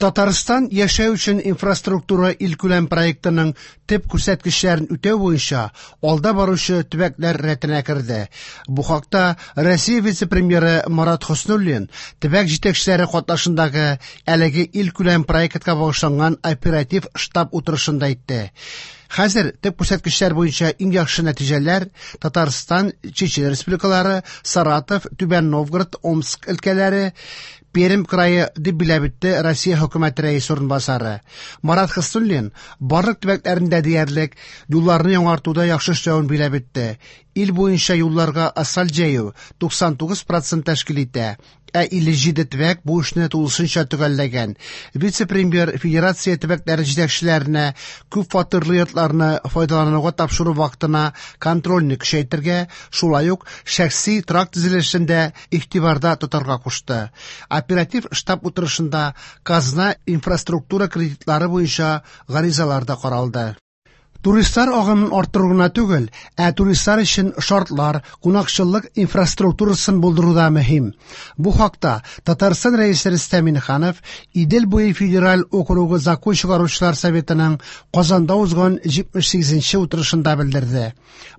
Татарстан яшәү өчен инфраструктура илкүләм проектының төп күрсәткечләрен үтәү буенча алда баручы төбәкләр рәтенә керде. Бу хакта Россия вице-премьеры Марат Хөснуллин төбәк җитәкчеләре катнашындагы әлеге илкүләм проектка багышланган оператив штаб утырышында әйтте. Хәзер төп күрсәткечләр буенча иң яхшы нәтиҗәләр Татарстан, Чечен республикалары, Саратов, Түбән Новгород, Омск өлкәләре, Пермь крае дип билгеләп үтте Россия хөкүмәте рәисе урынбасары. Марат Хөснуллин барлык төбәкләрендә диярлек юлларны яңартуда яхшы эшләвен билгеләп үтте. Ил буенча юлларга асфальт җәю 99% тәшкил итә, ә 57 төбәк бу эшне тулысынча төгәлләгән. Вице-премьер федерация төбәкләре җитәкчеләренә күп фатирлы йортларны файдалануга тапшыру вакытына контрольне көчәйтергә, шулай ук шәхси торак төзелешен дә игътибарда тотарга кушты. Оператив штаб утырышында казна инфраструктура кредитлары буенча гаризалар да каралды. Туристлар агымын арттыру гына түгел, ә туристлар өчен шартлар, кунакчыллык инфраструктурасын булдыру да мөһим. Бу хакта Татарстан Рәисе Рөстәм Миңнеханов Идел буе федераль округы закон чыгаручылар советының Казанда узган 78нче утырышында белдерде.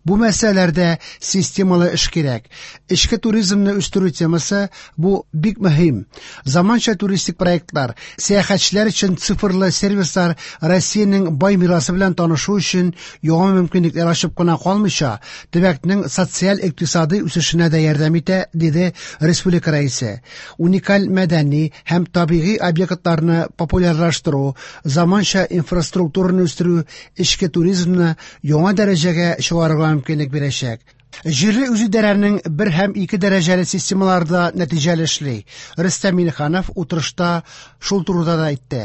Бу мәсьәләләрдә системалы эш кирәк. Эчке туризмны үстерү темасы бу бик мөһим. Заманча туристик проектлар, сәяхәтчеләр өчен цифрлы сервислар Россиянең бай мирасы белән танышу өчен яңа мөмкинлекләр ачып кына калмыйча, төбәкнең социаль-икътисади үсешенә дә ярдәм итә, диде республика рәисе. Уникаль мәдәни һәм табигый объектларны популярлаштыру, заманча инфраструктураны үстерү эчке туризмны яңа дәрәҗәгә чыгарырга мөмкинлек бирәчәк. Җирле үзидарәнең бер һәм ике дәрәҗәле системалары да нәтиҗәле эшли. Рөстәм Миңнеханов утырышта шул турыда да әйтте.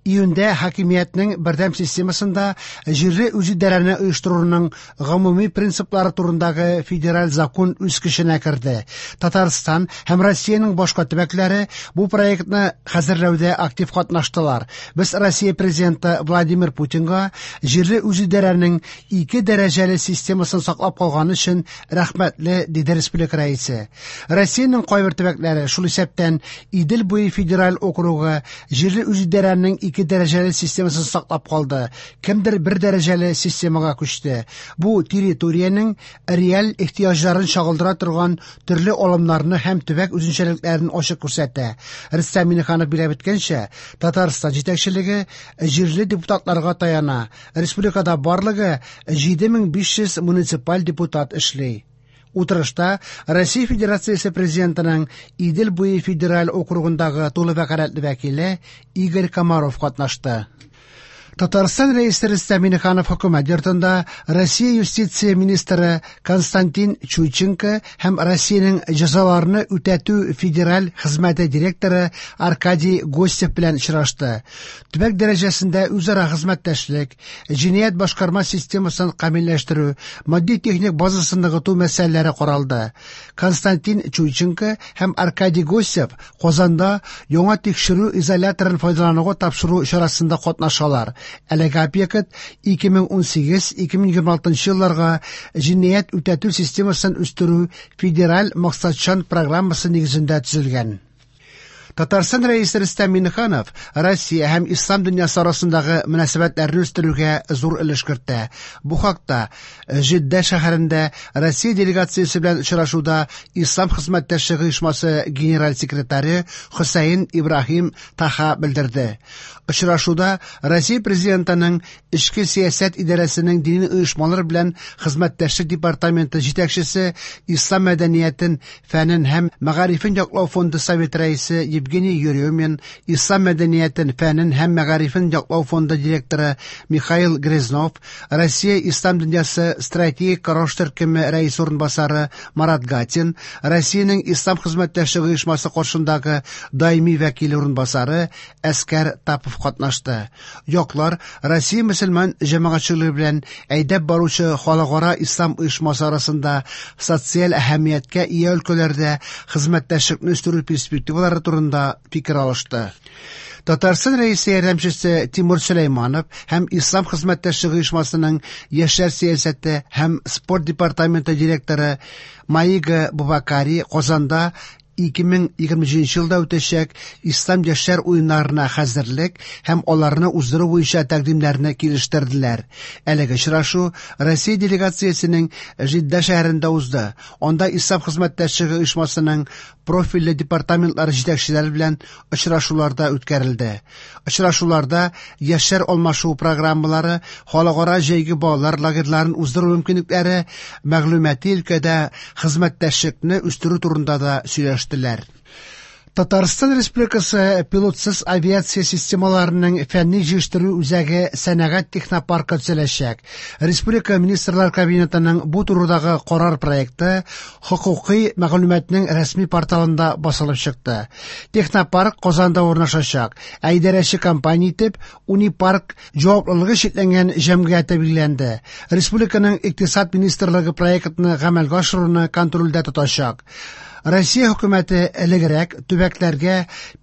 Июньдә хакимиятнең бердәм системасында җирле үзидарәне оештыруның гомуми принциплары турындагы федераль закон үз көченә керде. Татарстан һәм Россиянең башка төбәкләре бу проектны хәзерләүдә актив катнаштылар. Без Россия президенты Владимир Путинга җирле үзидарәнең ике дәрәҗәле системасын саклап калганы өчен рәхмәтле, диде республика рәисе. Россиянең кайбер төбәкләре, шул исәптән Идел буе федераль округы, җирле үзидарәнең ике дәрәҗәле системасын саклап калды. Кемдер бер дәрәҗәле системага күчте. Бу территориянең реаль ихтыяҗларын чагылдыра торган төрле алымнарны һәм төбәк үзенчәлекләрен ачык күрсәтә. Рөстәм Миңнеханов билгеләп үткәнчә, Татарстан җитәкчелеге җирле депутатларга таяна. Республикада барлыгы 7500 муниципаль депутат эшли. Утырышта Россия Федерациясе президентының Идел буе федераль округындагы тулы вәкаләтле вәкиле Игорь Комаров катнашты. Татарстан Рәисе Рөстәм Миңнеханов хөкүмәт йортында Россия юстиция министры Константин Чуйченко һәм Россиянең җәзаларны үтәтү федераль хезмәте директоры Аркадий Гостев белән очрашты. Төбәк дәрәҗәсендә үзара хезмәттәшлек, җинаять башкарма системасын камилләштерү, матди-техник базасын ныгыту мәсьәләләре каралды. Константин Чуйченко һәм Аркадий Гостев Казанда яңа тикшерү изоляторын файдалануга тапшыру чарасында катнашалар. Әлеге объект 2018-2026 елларга җинаять үтәтү системасын үстерү федераль максатчан программасы нигезендә төзелгән. Татарстан Рәисе Рөстәм Миңнеханов Россия һәм ислам дөньясы арасындагы мөнәсәбәтләрне үстерүгә зур өлеш кертә. Бу хакта Җиддә шәһәрендә Россия делегациясе белән очрашуда Ислам хезмәттәшлеге оешмасы генераль секретаре Хөсәен Ибраһим Таха белдерде. Очрашуда Россия президентының Эчке сәясәт идарәсенең дини оешмалар белән хезмәттәшлек департаменты җитәкчесе, Ислам мәдәниятен, фәнен һәм мәгарифен яклау фонды совет рәисе Евгений Еремин, Ислам мәдәниятен, фәнен һәм мәгарифен яклау фонды директоры Михаил Грязнов, Россия Ислам дөньясы стратегик караш төркеме рәисе урынбасары Марат Гатин, Россиянең Ислам хезмәттәшлеге оешмасы каршындагы даими вәкиле урынбасары Әскәр Тапов катнашты. Яклар Россия мөселман җәмәгатьчелеге белән әйдәп баручы халыкара ислам оешмасы арасында социаль әһәмияткә ия өлкәләрдә хезмәттәшлекне үстерү перспективалары турында фикер алышты. Татарстан Рәисе ярдәмчесе Тимур Сөләйманов һәм Ислам хезмәттәшлеге оешмасының яшьләр сәясәте һәм спорт департаменты директоры Маига Бубакари Казанда 2027 елда үтәчәк Ислам яшьләр уеннарына хәзерлек һәм аларны уздыру буенча тәкъдимнәрне килештерделәр. Әлеге очрашу Россия делегациясенең Җидда шәһәрендә узды. Анда Ислам хезмәттәшлеге оешмасының профильле департаментлары җитәкчеләре белән очрашулар да үткәрелде. Очрашуларда яшьләр алмашуы программалары, халыкара җәйге балалар лагерьларын уздыру мөмкинлекләре, мәгълүмати өлкәдә хезмәттәшлекне үстерү турында да сөйләштеләр. Татарстан Республикасы пилотсыз авиация системаларының фәнни җыештыру үзәге сәнәгать технопаркы төзеләчәк. Республика Министрлар Кабинетының бу турыдагы карар проекты хокукый мәгълүматның рәсми порталында басылып чыкты. Технопарк Казанда урнашачак, ә идарәче компания итеп Унипарк җаваплылыгы чикләнгән җәмгыяте билгеләнде. Республиканың Икътисад министрлыгы проектны гамәлгә ашыруны контрольдә тотачак. Россия хөкүмәте элегрәк төбәкләргә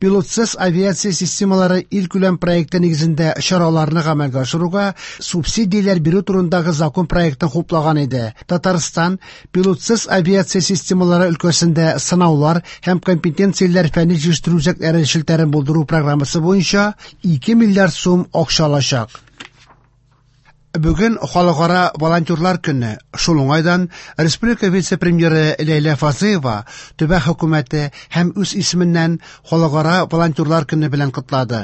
пилотсыз авиация системалары илкүләм проекты нигезендә чараларны гамәлгә ашыруга субсидияләр бирү турындагы закон проектын хуплаган иде. Татарстан пилотсыз авиация системалары өлкәсендә сынаулар һәм компетенцияләр фәнни җыештыру үзәкләре челтәрен булдыру программасы буенча 2 миллиард сум акча алачак. Бүген Халыкара волонтерлар көне. Шул уңайдан республика вице-премьеры Ләйлә Фазлыева төбәк хөкүмәте һәм үз исеменнән Халыкара волонтерлар көне белән котлады.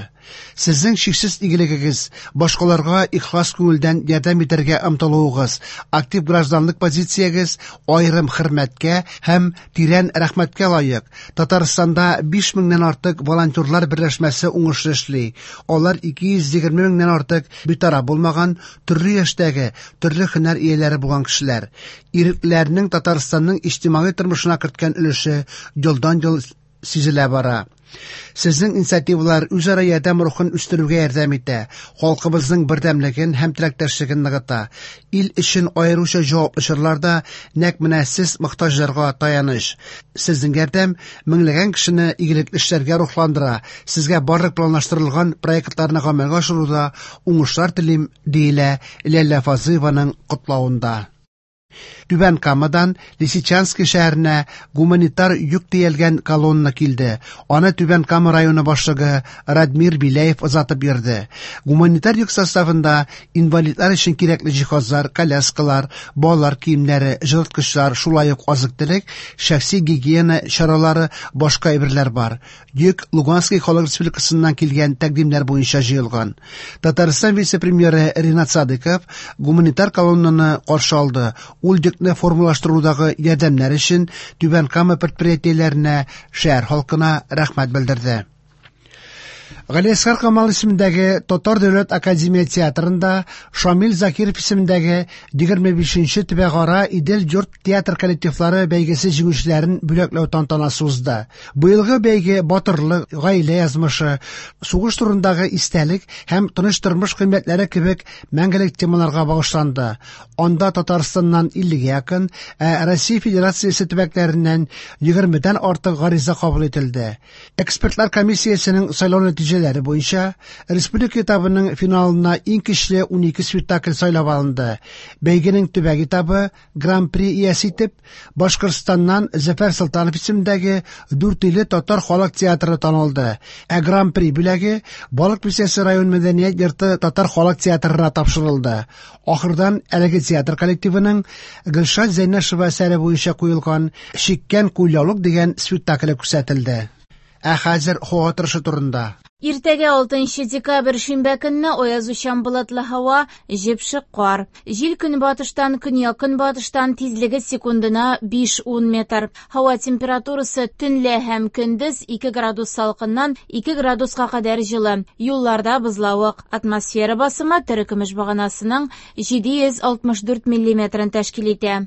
Сезнең чиксез игелегегез, башкаларга ихлас күңелдән ярдәм итәргә омтылуыгыз, актив гражданлык позициягез аерым хөрмәткә һәм тирән рәхмәткә лаек. Татарстанда 5 меңнән артык волонтерлар берләшмәсе уңышлы эшли. Алар 220 меңнән артык битараф булмаган төрле яшьтәге, төрле һөнәр ияләре булган кешеләр. Иреклеләрнең Татарстанның иҗтимагый тормышына керткән өлеше елдан-ел сизелә бара. Сезнең инициативалар үзара ярдәм рухын үстерүгә ярдәм итә, халкыбызның бердәмлеген һәм теләктәшлеген ныгыта. Ил өчен аеруча җаваплы чорларда нәкъ менә сез мохтаҗларга таяныч. Сезнең ярдәм меңләгән кешене игелекле эшләргә рухландыра. Сезгә барлык планлаштырылган проектларны гамәлгә ашыруда уңышлар телим, диелә Ләйлә Фазлыеваның котлавында. Түбән Камадан Лисичанский шәһәренә гуманитар йөк төялгән колонна килде. Аны Түбән Кама районы башлыгы Радмир Беляев озатып йөрде. Гуманитар йөк составында инвалидлар өчен кирәкле җиһазлар, коляскалар, балалар киемнәре, җылыткычлар, шулай ук азык-төлек, шәхси гигиена чаралары, башка әйберләр бар. Йөк Луганский халык республикасыннан килгән тәкъдимнәр буенча җыелган. Татарстан вице-премьеры Ринат Садыков гуманитар колоннаны каршы алды. Ул йөкне формалаштырудагы ярдәмнәр өчен Түбән Кама предприятиеләренә, шәһәр халкына рәхмәт белдерде. Галиәсгар Камал исемендәге Татар дәүләт академия театрында Шамил Закиров исемендәге 25нче төбәкара Идел-йорт театр коллективлары бәйгесе җиңүчеләрен бүләкләү тантанасы узды. Быелгы бәйге батырлык, гаилә язмышы, сугыш турындагы истәлек һәм тыныч тормыш кыйммәтләре кебек мәңгелек темаларга багышланды. Анда Татарстаннан 50 якын, ә Россия Федерациясе төбәкләреннән 20дән артык гариза кабул ителде. Экспертлар комиссиясенең сайлау нәтиҗәләре буенча республика этабының финалына иң көчле 12 спектакль сайлап алынды. Бәйгенең төбәк этабы Гран-при иясе итеп Башкортстаннан Зөфәр Солтанов исемендәге Дүртөйле татар халык театры танылды. Ә Гран-при бүләге Балык Бистәсе район мәдәният йорты татар халык театрына тапшырылды. Ахырдан әлеге театр коллективының Гөлшат Зәйнәшева әсәре буенча куелган Чиккән кулъяулык дигән спектакле күрсәтелде. Ә хәзер һава торышы турында. Иртәгә 6 декабрь шимбә көнне аязучан болытлы һава, җепшек кар. Җил көнбатыштан көньяк-көнбатыштан тизлеге секундына 5-10 метр. Һава температурасы төнлә һәм көндез 2 градус салкыннан 2 градуска кадәр җылы. Юлларда бозлавык. Атмосфера басымы терекөмеш баганасының 764 миллиметрын тәшкил итә.